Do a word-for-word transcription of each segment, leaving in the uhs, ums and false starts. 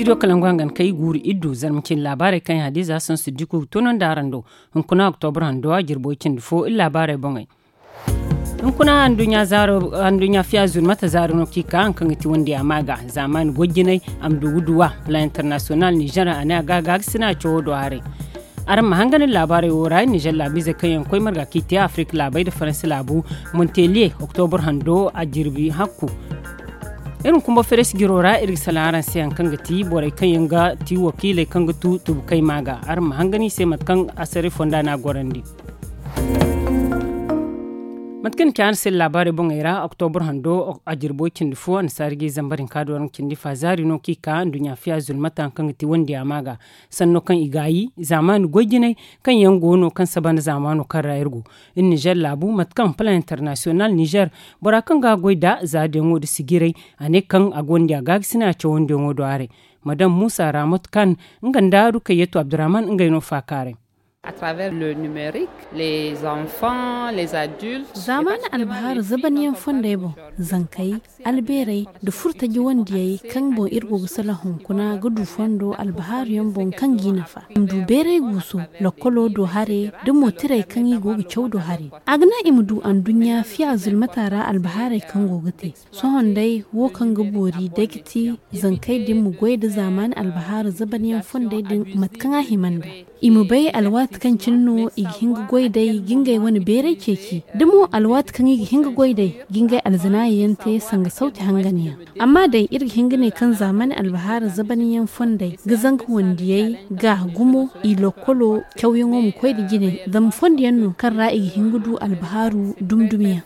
Studio kalangu hangan kay guuru iddu zarma cindi laabaarey kaŋ yaŋ hadiza sansu diku ga toonandi araŋ do. Hunkuna oktobra hando a jirbo cindi fo iri laabaarey boŋey. Hunkuna anduɲɲa fiya zuru mate zaari no kaŋ i ka haŋ kaŋ ga ti wandi a ma ga zaamaani goy jinay a ma du ga duwa plan international nizer a ne a ga a ga ga sina cawo do haray. Araŋ ma hangan iri laabaarey wo ra nizer laabiizey kaŋ yaŋ ga koy marga kaŋ i te afirika laabey nda faransi laabu, monteliye oktobra hando a jirbi hakku. Iri ma kumba feres jiro ra iri ga salaŋ araŋ se hari kaŋ ga ti borey kaŋ yaŋ ga ti wakiiley kaŋ ga tu tubukayma ga. Araŋ ma hangan i se mate kaŋ asaray fonda no a gorandi. Mate kaŋ ni ci araŋ se laabaarey boŋey ra oktobra hando a jirbo cindi fo annasaari ga i zambar hinka do araŋ cindi fa zaari no kaŋ i ka nduɲɲa fiya zulmata hari kaŋ ga ti wandi a ma ga. Sanno kaŋ i gaayi zaamaani goy jinay kaŋ yaŋ go no kaŋ saba nda zaamaano kaŋ ra iri go. Iri nizer laabu mate kaŋ plan international nizer bora kaŋ ga a goy nd'a zaadiyaŋo nda sijiray a ne kaŋ a gonda a gaagasinay a cawandiyaŋo do haray. Madam muusa raamot kan nga nda rukayyetu abdurrahman ngey no faakaaray. Zaamaani albahaari zabanyaŋ fondey boŋ, zankey, albeerey, nda furtaji wandiyey kaŋ boŋ iri go ga salaŋ hunkuna ga du fondo albahaari yaŋ boŋ kaŋ g'i nafa i ma du beeray guuso, lokkolo do hare, nda mootirey kaŋ i go ga caw do hare. A ga naŋ i ma du anduɲɲa fiya zulmata ra albahaarey kaŋ go ga te. Sohõ day wo kaŋ ga boori day ga ti zankey din ma goy nda zaamaani albahaari zabanyaŋ fondey din mate kaŋ a hima nd'a. I ma bay alwaati kaŋ cine no i ga hin ga goy day ga ngey wane beeray ceeci da mo alwaati kaŋ i ga hin ga goy day ga ngey alzanaayi yaŋ te sanga sawti hangan yaŋ. Amma day iri ga hin ga ne kaŋ zaamaani albahaari zabanyaŋ fondey ga zanka wandiyey ga gumo i lokkolo cawyaŋo ma koy nda jine zama fondo yaŋ no kaŋ ra i ga hin ga du albahaaru dumi dumi yaŋ.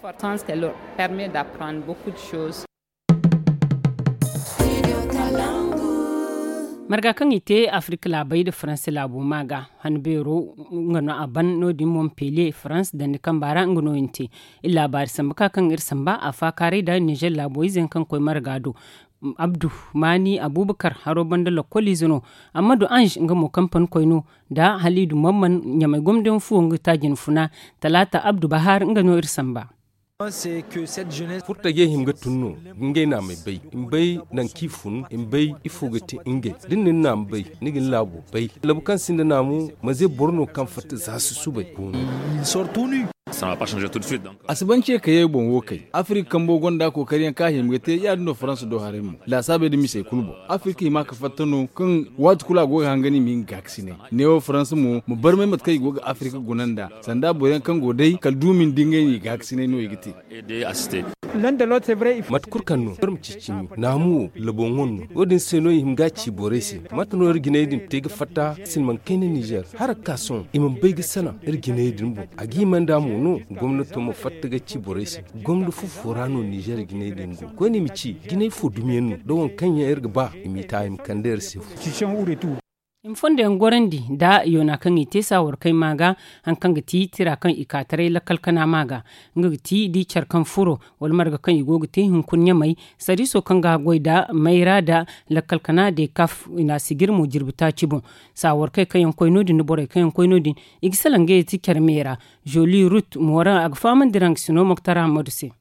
Marga kaŋ i te afirika laabey nda faransa laabo ma ga han beero nga no a ban no- din montpellier faransa dandi kamba ra nga no i na te. Iri laabaari samba ka kaŋ iri samba a faakaaray nda nizer laabo ize yaŋ kaŋ ga koy marga do. Abdu maani abuubakar haro banda lokkol ize no. Ammadu ange nga mo kampani koy no nda haliidu mamman ɲamay gomdiyaŋ fuwo nga ga taaji ni funa. Talaata abdu bahaar nga no iri samba. Furtajey hima ga tun no ga ngey naamey bay i ma bay nangu kaŋ i fun i ma bay ifo ga te ngey da ni na ni naama bay ni ga ni laabo bay labu kaŋ sinda naamu manze boro no kaŋ fatta za susubay. A si ban ce kayey boŋ wo kay afirka kambo gonda kookari yaŋ kaŋ a hima ga te ya- din no faransa do haray mo laasaabey nda misey kulu boŋ. Afirka hima ga fatta no kaŋ waati kulu a go ga hangan i ma hin ga gaakasinay neewo faransa mo ma barmay mate kaŋ i go ga afirka guna nd'a sanda boro yaŋ kaŋ go day kala duumi nda ngey no i gaakasinay no i ga te. Mate kulu kaŋ no boro ma ci cimi naamu wo laboŋo no wo- din se no i hima ga a ci borey se. Mate no iri jinay din te ga fatta silmaŋ kayna nizer hara ga ka sohõ i mana bay ga salaŋ iri jinay din boŋ a ga hima nd'a mo no gomnato ma fatta ga ci borey se. Gomna fufo ra no nizer jinay din go koyne i ma ci jinay fo dumiyaŋ no da waŋ kaŋ yaŋ iri ga ba i m'i ta i ma kande iri se fu. I ma fondo yaŋ gorandi nda yoona kaŋ i te saawar kay ma ga hari kaŋ ga ti tira kaŋ i ka taray lakkal kana ma ga nga ga ti da i care kaŋ furo wala marga kaŋ i go ga te hunkuna ɲamay sariiso kaŋ ga a goy nda mayra nda lakkal kana de kaf i na a sijir mo jirbi taaci boŋ. Saawar kay kaŋ yaŋ koy no- din nda borey kaŋ yaŋ koy no- din i ga salaŋ ngey ti care me ra. Zoli rut mooraŋ a ga fahamandi raŋ ga sino moktar hammadu se.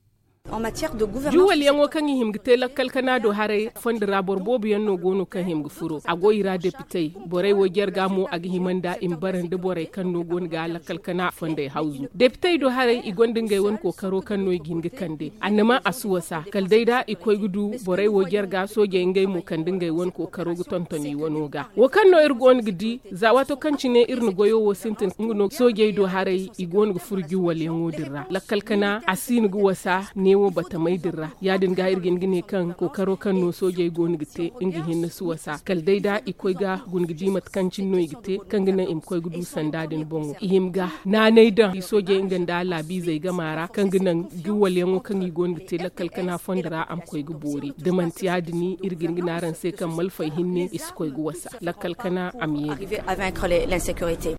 Juwalyaŋo kaŋ i hima ga te lakkal kana do haray fondo ra boro boobo yaŋ no go no kaŋ hima ga furo a go i ra depitey. Borey wo jarga mo a ga hima nd'a i ma bara nda borey kaŋ no go no ga lakkal kana fondey hawzu depitey do haray i gonda ngey wane kookaro kaŋ no i ga hin ga kande annama a si wasa kala day da i koy ga du borey wo jarga soojey ngey mo kande ngey wane kookaro ga tonton i wano ga wo kaŋ no iri go no ga di za waato kaŋ cine iri na goyo wo sintin nga no soojey do haray i go no ga furo juwalyaŋo din ra lakkal kana a si no ga wasa neewo batamey din ra ya- din ga iri ga hin ga ne kaŋ kookaro kaŋ no soojey go no ga te nga hinne si wasa kala day da i koy ga guna ga di mate kaŋ cine no i ga te kaŋ ga naŋ i ma koy ga du sanda din boŋo i hima ga naanay daŋ i soojey nga nda laabiizey gama ra kaŋ ga naŋ juwalyaŋo kaŋ i go no ga te lakkal kana fondo ra a ma koy ga boori da manti ya- din iri ga hin ga ne araŋ se kaŋ malfey hinne i si koy ga wasa lakkal kana a ma ye ga.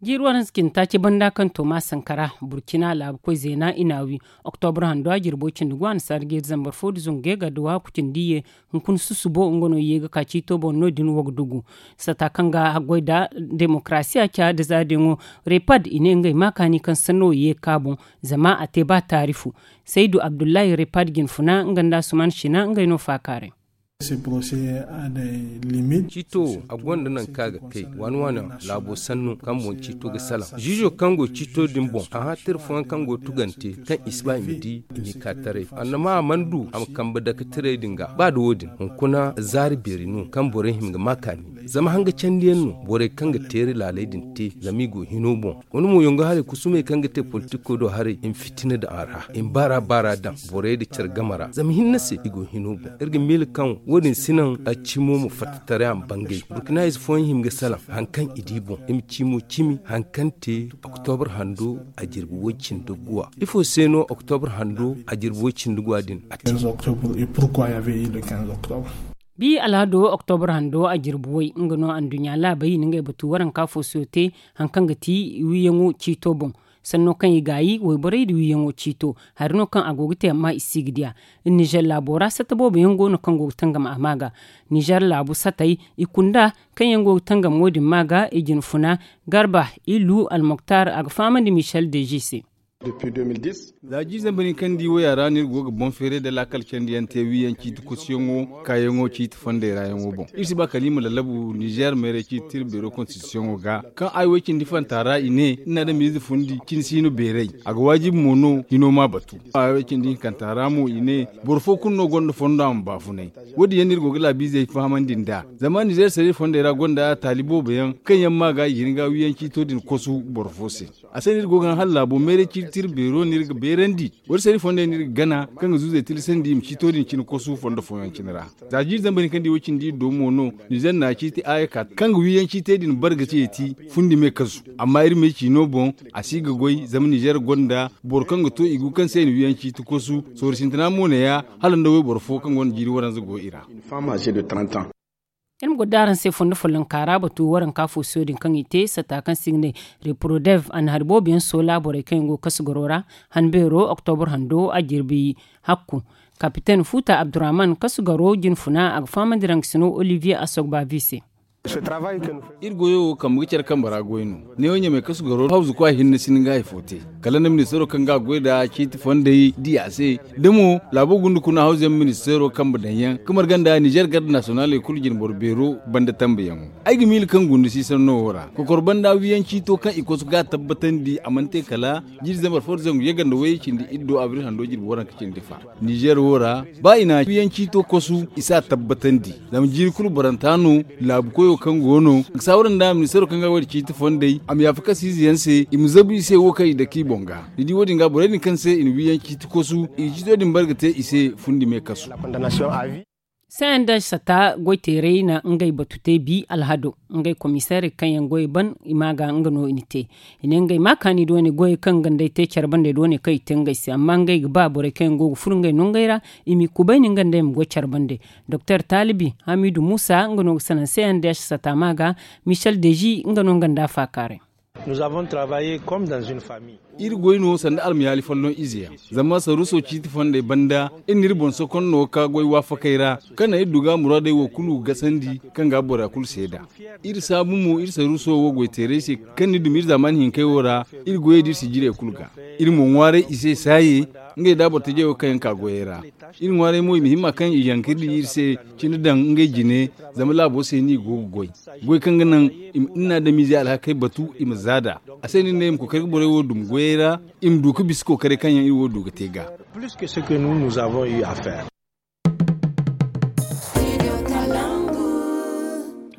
Jiiri waranza cindi taaci banda kaŋ toma sankara burcina laabu koy zeena i na a wi. Oktobra hando a jirbo cindi gu annasaara ga iri zambar fo nda zangu ga ga da waaku cindi ye hunkuna susubo nga no ye ga ka ciito boŋ no- din wo ga dugu. Sata kaŋ ga haggoy nda demokarasiya ca nda zaadiyaŋo repad i ne ngey ma kaani kaŋ sanno ye ga ka boŋ. Zama a te ba taari fo. Saydu abdullahi repad jinfuna nga nda asuman sina ngey no faakaaray. Ciito wo, a gonda nangu kaŋ a ga kay waani waani laabo sannu kaŋ boŋ ciito ga salaŋ. Ziizo kaŋ go ciito din boŋ, a hã tira fooyaŋ kaŋ go tugante kaŋ i si ba i ma di i m'i ka taray. Annama a mana du a ma kambe dake tirey din ga. Ba da wo-din, hunkuna zaari beeri no kaŋ borey hima ga ma kaani. Zama hanga candiyaŋ no borey kaŋ ga teeri laaley din te, zama i go hino boŋ. Wane mo yongo haray kusumey kaŋ ga te politiko do haray, i ma fitina daŋ a ra, i ma baara baara daŋ borey nda care game ra. Zama hinne se i go hino boŋ. Iri ga miila kaŋ wo-din si naŋ a cimo ma fatta taray a ma bangay. Burkina ize fooyaŋ hima ga salaŋ hari kaŋ i di boŋ. I ma cimo cimi hari kaŋ te oktobra hando a jirbi way cindi guwa. Ifo se no oktobra hando a jirbi way cindi guwa din a te? Bi alhado oktobra hando a jirbi way nga no anduɲɲa laabey na ngey batu waranka fo siyo te, hari kaŋ ga ti wiiyaŋo ciito boŋ. Sanno kaŋ i gaayi wayborey nda wiiyaŋo ciito, hari no kaŋ a go ga te amma i si ga di a. Nizer laabo ra satta boobo yaŋ go no kaŋ go ga tangam a ma ga. Nizer laabu satey i kunda kaŋ yaŋ go ga tangam wo-din ma ga i jinfuna, garba, ilu almoktar a ga fahamandi michel deji se. Za jiiri zambar hinka nda i waya ra no iri go ga boŋ feeray nda laakal candiyaŋ te wiiyaŋ ciiti kosuyaŋo kaayaŋo ciiti fondey ra yaŋo boŋ. Iri si ba kala i ma lallabu nizer meeray ciiti tira beero konstitisiyoŋo ga kaŋ ay way cindi fanta ra i ne, ni na adamize fundi cine si no beeray. A ga waajibi mo no hino ma batu. Ay way cindi hinkanta ra mo i ne, boro fo kulu no gonda fondo a ma baafunay. Wo- din yaŋ no iri go ga laabiizey fahamandi nd'a. Zama nizer sariya fondey ra gonda taali boobo yaŋ kaŋ yaŋ ma ga i ga hin ga wiiyaŋ ciito din kosu boro fo se. A se no iri go ga haŋ hala laabo meeray ciiti tira beero no iri ga beerandi. Wala sariya fondey no iri ga gana kaŋ ga zuuzey tilasandi i ma ciito din cine kosu fondo fooyaŋ cine ra. Za jiiri zambar hinka nda i way cindi iri do mo no, nizer na ciiti aaya ka kaŋ ga wiiyaŋ ciitey din barga ce ti fundi me kasu. Amma iri me ciino boŋ, a si ga goy zama nizer gonda boro kaŋ ga to i gu kaŋ se i na wiiyaŋ ciiti kosu. Sooru sintina mo ne- ya hala nda wayboro fo kaŋ gonda jiiri waranza go i ra. Iri ma goro da araŋ se fondo follonka ra batu waranka fo siyo din kaŋ i te satta kaŋ se i ga ne reprodev a na hari boobo yaŋ soola borey kaŋ yaŋ go ga kasu garo ra. Han beero oktobra hando a jirbi hakku. Kapiten futa abdurrahman kasu garo jinfuna a ga fahamandi raŋ ga sino olivier asogbavi se. Iri goyo wo kambe ga care kambe ra goy no. Neewo ɲamey kasu garo hawzu kwa hinne si ni ga hari fo te. Kala nda ministeero kaŋ ga a goy nd'a ciiti fondey di a se. Da mo laabo gunda kuna hawzu yaŋ ministeero kambe daŋ yaŋ ga marga nda nizer garda nasiyonaley kulu jinboro beero banda tambe yaŋo. Ay ga miila kaŋ gunda si sanno wo ra kokor banda wiiyaŋ ciito kaŋ i kosu ga a tabbatandi a mana te kala jiiri zambar fo nda zangu yaganda wayey cindi iri do abril hando jirbi waranka cindi fa. Nizer wo ra ba i na wiiyaŋ ciito kosu i si a tabbatandi. Zama jiiri kulu baranta no laabu koyo kaŋ go no ga saawara nda ministeero kaŋ ga wayda ciiti fondey a ma yaafa kasiize yaŋ se i ma zabu i se wo kaŋ i dake i boŋ ga. Ni di wo- din ga borey din kaŋ se i na wiiyaŋ ciiti kosu i ga ciito din bare ga te i se fundi me kasu. Sendez sata goyteerey na ngey batu te bi alhado. Ngey komiseerey kaŋ yaŋ goyey ban i ma ga nga no i na te. I ne ngey ma kaani doone goyey kaŋ gandey te care bandey doone kaŋ i te ngey se amma ngey ga ba borey kaŋ yaŋ go ga furo ngey nongey ra i m'i kubayni nga nd'ey ma goy care bande. Doktor talibi hamidu musa nga no ga sanaŋ cndh sata ma ga. Michel deji nga no nga nda faakaaray. Iri goy no sanda almayaali folloŋ ize yaŋ. Zama saruuso ciiti fondey banda iri n'iri boŋ sokonno ka goy waafakey ra kaŋ naŋ iri du ga muraadey wo kulu gasandi kaŋ ga bora kulu seeda. Iri saabu mo iri saruuso wo goyteerey se kaŋ ni dumi iri zaamaani hinkey wo ra. Iri goyey da iri sijirey kulu ga iri mo ŋwaaray i se saaye. Ngey da boro tajey wo kaŋ yaŋ ka goyey ra iri ŋwaaray mo i ma himma kaŋ i yaŋ ka iri di iri se cine daŋ ngey jine. Zama laabo se no i go ga goy goy kaŋ ga naŋ i ma adamize alhakey batu i ma zaada. A se no iri ne i ma kookari ga borey wo dumi goyey ra i ma du ga bisa kookaray kaŋ yaŋ iri wo du ga te ga.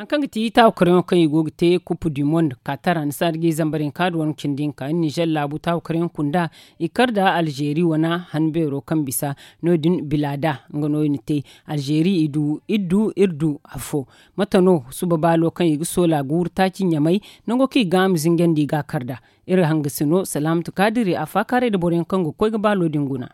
Hari kaŋ ga ti taawakaryaŋo kaŋ i go ga te kupu du mond katar annasaara ga i zambar hinka da wane cindi hinka nizer laabu taawakaryaŋ kunda. I kar da alzeeri wane han beero kaŋ bisa no- din bilada nga no i na te. Alzeeri i du iri du iri du afo. Mate no suba baalo kaŋ i ga soola guuru taaci ɲamay nango kaŋ i ga a ma zinjandi i ga a kar nd'a. Iri hangasino salaamatu kaadiri a faakaaray nda boroyaŋ kaŋ ga koy ga baalo din guna.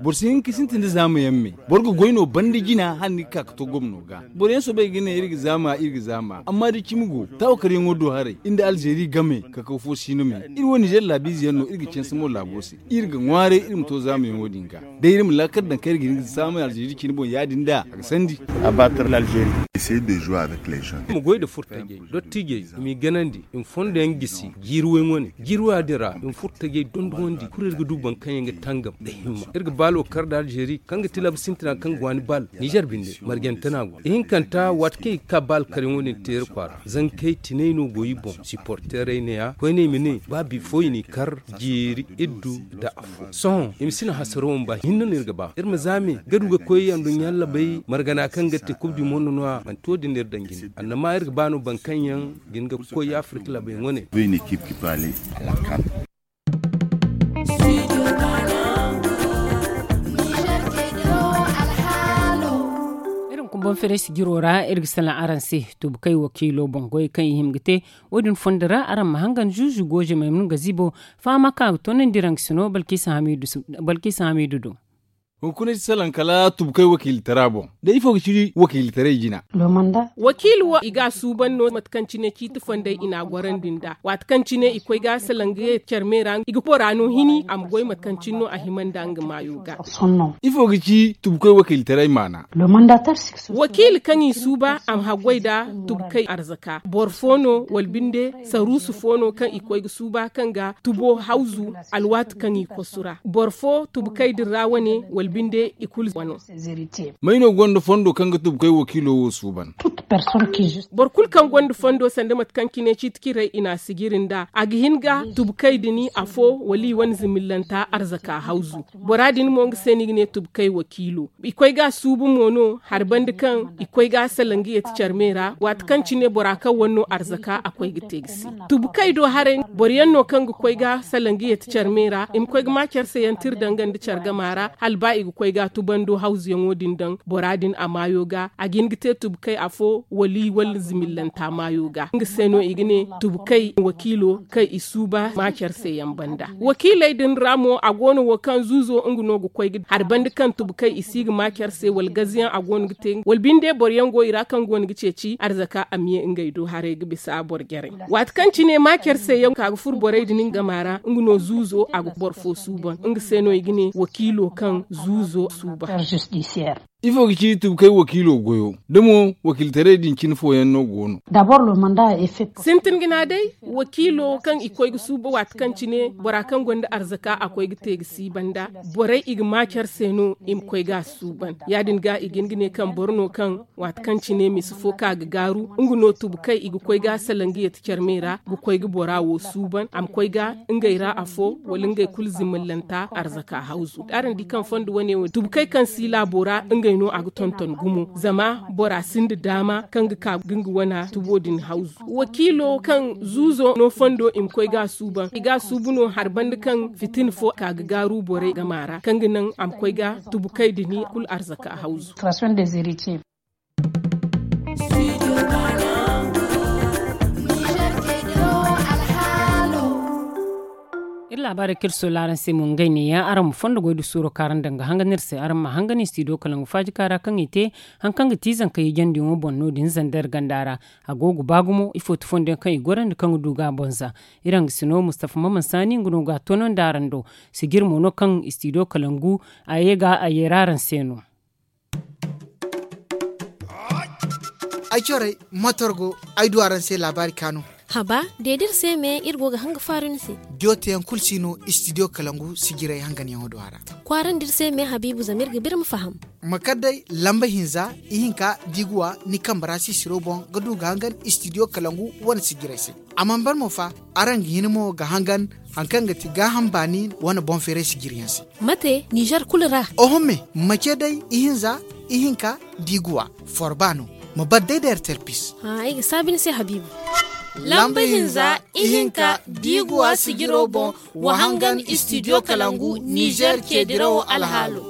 Boro si hin ka sintin nda zaama yaŋ me. Boro ga goy no banda jina hala ni ga ka ga to gomno ga. Boroyaŋ soobay ga ne iri ga zaama iri ga zaama amma da cimi go taawakaryaŋo do haray iri nda alzeeri game. Kakaw fo si no me. Iri wo nizer laabiize yaŋ no iri ga canse mo laabo se. Iri ga ŋwaaray iri ma to zaamayaŋo din ga. Day iri ma laakal daŋ kaŋ iri ga hin ga saamay alzeeri cine boŋ ya- din da a ga sandi. Iri ma goy nda furtajey dottiijey i m'i ganandi i ma fondo yaŋ gisi jiiri way wane jiiri waya din ra i ma furtajey dondonandi kulu iri ga du boro kaŋ. Iri ga tangam nda himma iri ga baalo kar nda alzeeri kaŋ ga ti laabu sintina kaŋ ga waani baal nizer binde marjante no a go. Ihinkanta waati kaŋ i ga ka baal karyaŋo din te iri kwaara zankey tinay no go i boŋ siporterey ne- ya koyne i ma ne ba bifo i n'i kar jeeri iddu nda afo sohõ i ma si naŋ hasaro ma ba hinne no iri ga ba iri ma zaame ga du ga koy anduɲɲa labey margana kaŋ ga te kub di mondo no- ya manti wo- din no iri daŋ jine annama iri ga ba no boro kaŋ yaŋ ga hin ga koy afirka laabey wane. Iri ma kumbaŋ fereesi jiro ra iri ga salaŋ araŋ se. Tubkay wakiilo boŋ goyey kaŋ i hima ga te wo- din fondo ra araŋ ma hangan zuuzu gooze maymun gazibo fahama kaŋ a ga toonandi raŋ ga sino balkisa hamiidu do. Hunkuna si salaŋ kala tubkay wakiilitara boŋ da ifo ga ci wakiilitaray jina. Wakiili wo i ga a suuban no mate kaŋ cine ciiti fondey i n'a gorandi nd'a waati kaŋ cine i koy ga salaŋ ga ye care me ra i ga bora no hini a ma goy mate kaŋ cine no a hima nda nga maayo ga. Ifo ga ci tubkay wakiilitaray maana? Wakiili kaŋ i suuba a ma haggoy nda tubkay arzaka boro fo no wala binde saruusu fo no kaŋ i koy ga suuba kaŋ ga tubo hawzu alwaati kaŋ i kosu ra boro fo tubkay din ra wane wala binde i kulu wano. May no gonda fondo kaŋ ga tubkay wakiilo wo suuban? Boro kulu kaŋ gonda fondo sanda mate kaŋ cine ciiti ciray i n'a sijiri nd'a a ga hin ga tubkay din afo wala i wane zimillanta arzaka hawzu bora din mo nga se no i ga ne tubkay wakiilo. I koy ga a suubu mo no hari banda kaŋ i koy ga a salaŋ ga yeeti care me ra waati kaŋ cine bora kaŋ wane no arzaka a koy ga te ga se. Tubkay do haray boro yaŋ no kaŋ ga koy ga salaŋ ga yeeti care me ra i ma koy ga ma care se yaŋ tira danga nda care gama ra hala ba i ga koy ga a tubando hawzuyaŋo din daŋ bora din a maayo ga a ga hin ga te tubkay afo wala i wala zimillanta maayo ga nga se no i ga ne tubkay wakiilo kaŋ i suuba ma care se yaŋ banda. Wakiiley din ra mo a go no wo kaŋ zuuzo nga no ga koy ga hari banda kaŋ tubkay i si ga ma care se wala gaziyaŋ a go no ga te wala binde boro yaŋ go i ra kaŋ go no ga ceeci arzaka a ma ye ngey do haray ga bisa boro jarey. Waati kaŋ cine ma care se yaŋ ka ga furo borey din nga gama ra nga no zuuzo a ga boro fo suuban nga se no i ga ne wakiilo kaŋ zuuzo suuban. Ifo ga ci tubkay wakiilo goyo da mo wakiilitaray din cine fooyaŋ no go no? Sintin ga na day wakiilo kaŋ i koy ga suuba waati kaŋ cine bora kaŋ gonda arzaka a koy ga te ga si banda borey i ga ma care se no i ma koy ga a suuban ya- din ga i ga hin ga ne kaŋ boro no kaŋ waati kaŋ cine misa fo ka ga gaaru nga no tubkay i ga koy ga a salaŋ ga yeeti care me ra ga koy ga bora wo suuban a ma koy ga ngey ra afo wala ngey kulu zimillanta arzaka hawzu araŋ di kaŋ fondo wane wo tubkay kaŋ si laabo ra ngey no a ga tonton gumo zama bora sinda daama kaŋ ga ka ga nga wana tubo din hawzu wakiilo kaŋ zuuzo no fondo i ma koy ga a suuban i ga a suubu no hari banda kaŋ fitina fo ka ga gaaru borey gama ra kaŋ ga naŋ a ma koy ga tubkay din kulu arzaka hawzu. Iri laabaarey kaŋ iri soola araŋ se mo ngey neeya araŋ ma fondo goy da suuro kaŋ araŋ daŋ ga hangan iri se araŋ ma hangan istidiyo kalaŋ ga faaji kaara kaŋ i te hari kaŋ ga ti zanka hijandiyaŋo boŋ no- din zander ganda ra. A go ga ba gumo ifo ti fondo yaŋ kaŋ i gorandi kaŋ ga du ga a boŋ za. Iri hangasino mustafa maman saani nga no ga a toonandi araŋ do. Sijiri mo no kaŋ istidiyo kalaŋ gu a ye ga a yeera araŋ se no. Ay corey matorgo ay du araŋ se laabaari kaanu. Haba deedi iri se me iri go ga hanga faaru ni se. Diyo teyaŋ kulu si no istidiyo kalangu sijiray hanganyaŋo do a ra. Kwaarandi iri se me habiibu zama iri ga biri ma faham. Ma kar day lamba hinza ihinka diiguwa ni kambe ra sisiro boŋ ga du ga hangan istidiyo kalangu wane sijiray se. A mana ban mo fa araŋ ga hin mo ga hangan hari kaŋ ga ti gaaham baani wane boŋ feeray sijiriyaŋ se. Mate nizer kulu ra. Oho me ma ce day ihinza ihinka diiguwa forba no. Ma bar day da ertel pis. Ay ga saabi ni se habiibu. Lamba hinza ihinka diiguwa sijiro boŋ wa hangan istidiyo kalangu nizer ce dirawo alhaalo.